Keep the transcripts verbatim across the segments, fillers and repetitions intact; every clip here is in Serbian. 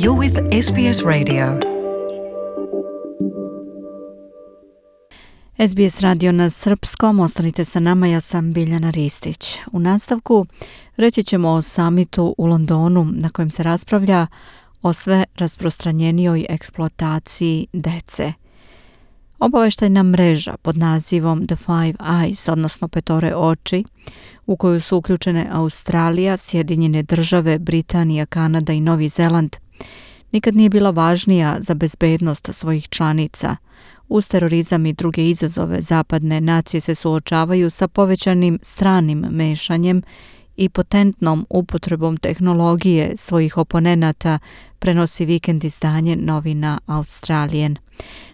You're with S B S Radio. S B S radio na srpskom, ostanite sa nama, ja sam Biljana Ristić. U nastavku reći ćemo o samitu u Londonu na kojem se raspravlja o sve rasprostranjenijoj eksploataciji dece. Obaveštajna mreža pod nazivom The Five Eyes, odnosno petore oči, u koju su uključene Australija, Sjedinjene države, Britanija, Kanada i Novi Zeland, nikad nije bila važnija za bezbednost svojih članica. Uz terorizam i druge izazove zapadne nacije se suočavaju sa povećanim stranim mešanjem i potentnom upotrebom tehnologije svojih oponenata, prenosi vikend izdanje novina Australian.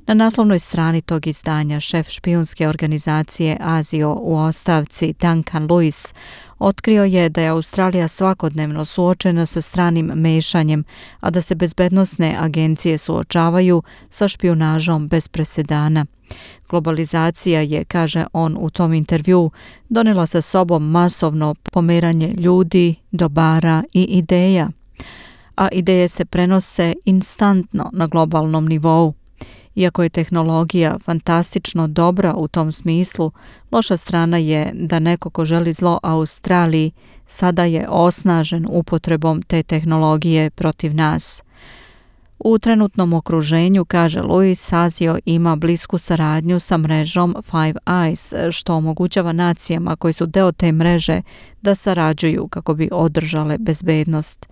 Na naslovnoj strani tog izdanja šef špijunske organizacije Azio u ostavci Duncan Lewis otkrio je da je Australija svakodnevno suočena sa stranim mešanjem, a da se bezbednosne agencije suočavaju sa špijunažom bez presedana. Globalizacija je, kaže on u tom intervjuu, donela sa sobom masovno pomeranje ljudi, dobara i ideja, a ideje se prenose instantno na globalnom nivou. Iako je tehnologija fantastično dobra u tom smislu, loša strana je da neko ko želi zlo Australiji sada je osnažen upotrebom te tehnologije protiv nas. U trenutnom okruženju, kaže Lewis, Azio ima blisku saradnju sa mrežom Five Eyes, što omogućava nacijama koji su deo te mreže da sarađuju kako bi održale bezbednost.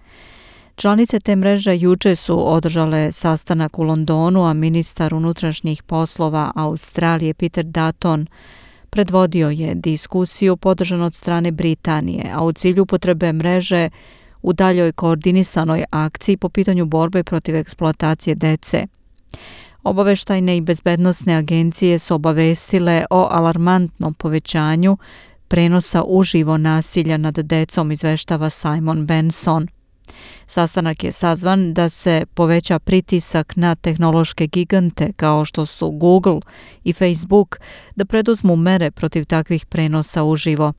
Članice te mreže juče su održale sastanak u Londonu, a ministar unutrašnjih poslova Australije Peter Dutton predvodio je diskusiju podržanu od strane Britanije, a u cilju upotrebe mreže u daljoj koordinisanoj akciji po pitanju borbe protiv eksploatacije dece. Obaveštajne i bezbednosne agencije su obavestile o alarmantnom povećanju prenosa uživo nasilja nad decom, izveštava Simon Benson. Sastanak je sazvan da se poveća pritisak na tehnološke gigante kao što su Google i Facebook da preduzmu mere protiv takvih prenosa uživo.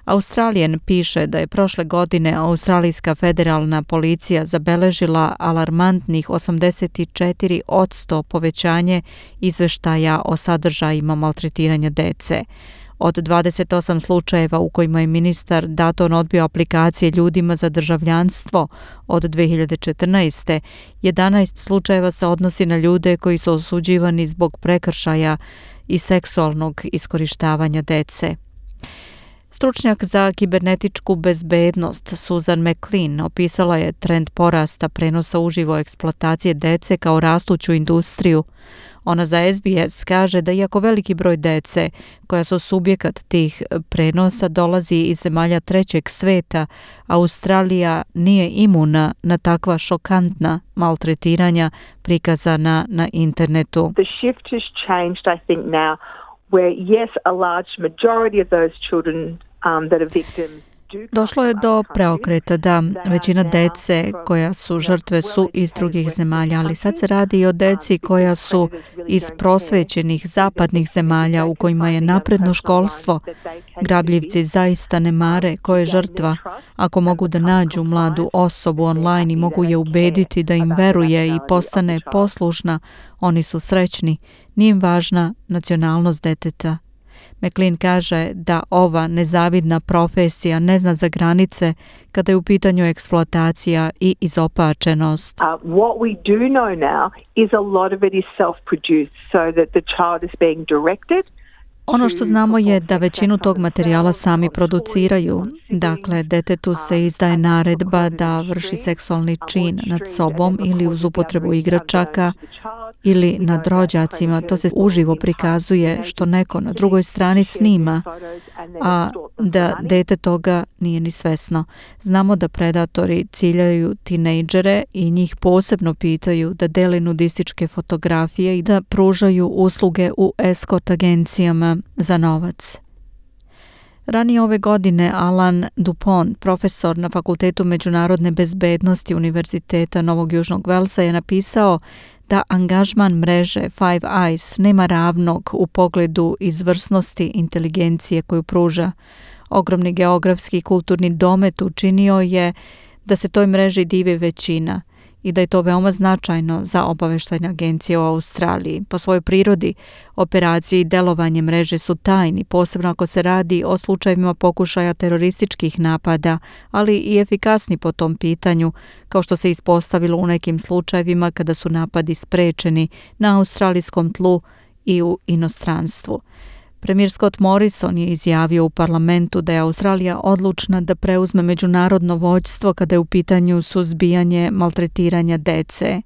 Australian piše da je prošle godine Australijska federalna policija zabeležila alarmantnih osamdeset četiri posto povećanje izveštaja o sadržajima maltretiranja dece. Od dvadeset osam slučajeva u kojima je ministar Dutton odbio aplikacije ljudima za državljanstvo od dve hiljade četrnaeste. jedanaest slučajeva se odnosi na ljude koji su osuđivani zbog prekršaja i seksualnog iskorištavanja dece. Stručnjak za kibernetičku bezbednost Susan McLean opisala je trend porasta prenosa uživo eksploatacije dece kao rastuću industriju. Ona za S B S kaže da iako veliki broj dece koja su subjekat tih prenosa dolazi iz zemalja trećeg sveta, Australija nije imuna na takva šokantna maltretiranja prikazana na internetu. The shift has changed, I think, now where yes, a large majority of those children um, that are victims. Došlo je do preokreta da većina dece koja su žrtve su iz drugih zemalja, ali sad se radi i o deci koja su iz prosvećenih zapadnih zemalja u kojima je napredno školstvo. Grabljivci zaista ne mare ko je žrtva. Ako mogu da nađu mladu osobu online i mogu je ubediti da im veruje i postane poslušna, oni su srećni. Nije im važna nacionalnost deteta. McLean kaže da ova nezavidna profesija ne zna za granice kada je u pitanju eksploatacija i izopačenost. Uh, what we do know now is a lot of it is self-produced, so that the child is being directed. Ono što znamo je da većinu tog materijala sami produciraju. Dakle, detetu se izdaje naredba da vrši seksualni čin nad sobom ili uz upotrebu igračaka ili nad rođacima. To se uživo prikazuje što neko na drugoj strani snima, a da dete toga nije ni svesno. Znamo da predatori ciljaju tinejdžere i njih posebno pitaju da dele nudističke fotografije i da pružaju usluge u eskort agencijama za novac. Ranije ove godine Alan Dupont, profesor na Fakultetu međunarodne bezbednosti Univerziteta Novog Južnog Velsa, je napisao da angažman mreže Five Eyes nema ravnog u pogledu izvrsnosti inteligencije koju pruža. Ogromni geografski i kulturni domet učinio je da se toj mreži divi većina. i da je to veoma značajno za obavještajne agencije u Australiji. Po svojoj prirodi, operacije i delovanje mreže su tajni, posebno ako se radi o slučajevima pokušaja terorističkih napada, ali i efikasni po tom pitanju, kao što se ispostavilo u nekim slučajevima kada su napadi sprečeni na australijskom tlu i u inostranstvu. Premijer Scott Morrison je izjavio u parlamentu da je Australija odlučna da preuzme međunarodno vođstvo kada je u pitanju suzbijanje maltretiranja dece.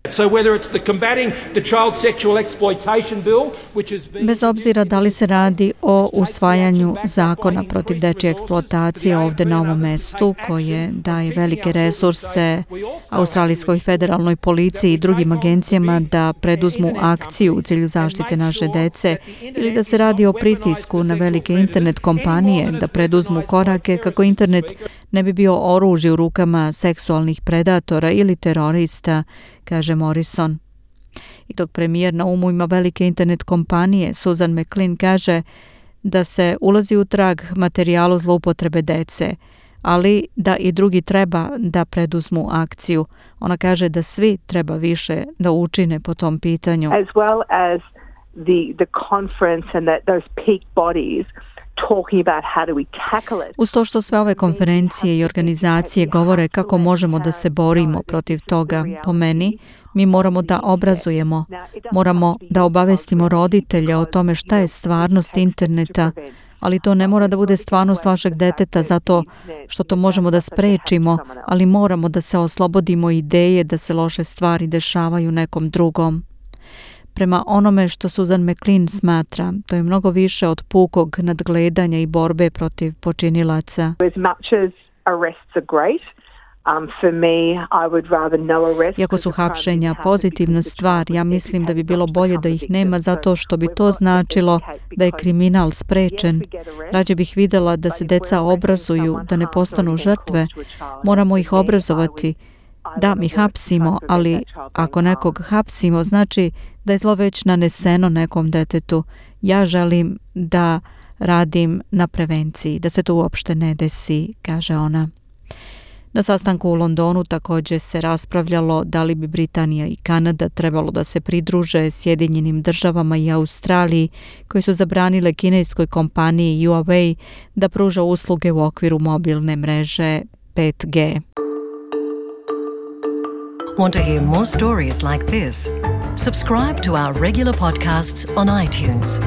Bez obzira da li se radi o usvajanju zakona protiv dečje eksploatacije ovdje na ovom mestu, koje daje velike resurse Australijskoj federalnoj policiji i drugim agencijama da preduzmu akciju u cilju zaštite naše dece, ili da se radi o pritisku na velike internet kompanije da preduzmu korake kako internet ne bi bio oružje u rukama seksualnih predatora ili terorista, kaže Morrison. I dok premijer na umu ima velike internet kompanije, Susan McLean kaže da se ulazi u trag materijalu zloupotrebe dece, ali da i drugi treba da preduzmu akciju. Ona kaže da svi treba više da učine po tom pitanju. As well as the the conference and that those peak bodies talking about how do we tackle it. Uz to što sve ove konferencije i organizacije govore kako možemo da se borimo protiv toga, po meni, mi moramo da obrazujemo, moramo da obavestimo roditelje o tome šta je stvarnost interneta, ali to ne mora da bude stvarnost vašeg deteta zato što to možemo da sprečimo, ali moramo da se oslobodimo ideje da se loše stvari dešavaju nekom drugom. Prema onome što Susan McLean smatra, to je mnogo više od pukog nadgledanja i borbe protiv počinilaca. As much as arrests are great, um, for me, I would rather no arrest. Iako su hapšenja pozitivna stvar, ja mislim da bi bilo bolje da ih nema zato što bi to značilo da je kriminal sprečen. Rađe bih vidjela da se deca obrazuju, da ne postanu žrtve. Moramo ih obrazovati. Da, mi hapsimo, ali ako nekog hapsimo, znači da je zlo već naneseno nekom detetu. Ja želim da radim na prevenciji, da se to uopšte ne desi, kaže ona. Na sastanku u Londonu također se raspravljalo da li bi Britanija i Kanada trebalo da se pridruže Sjedinjenim državama i Australiji, koji su zabranile kineskoj kompaniji Huawei da pruža usluge u okviru mobilne mreže pet G. Want to hear more stories like this? Subscribe to our regular podcasts on iTunes.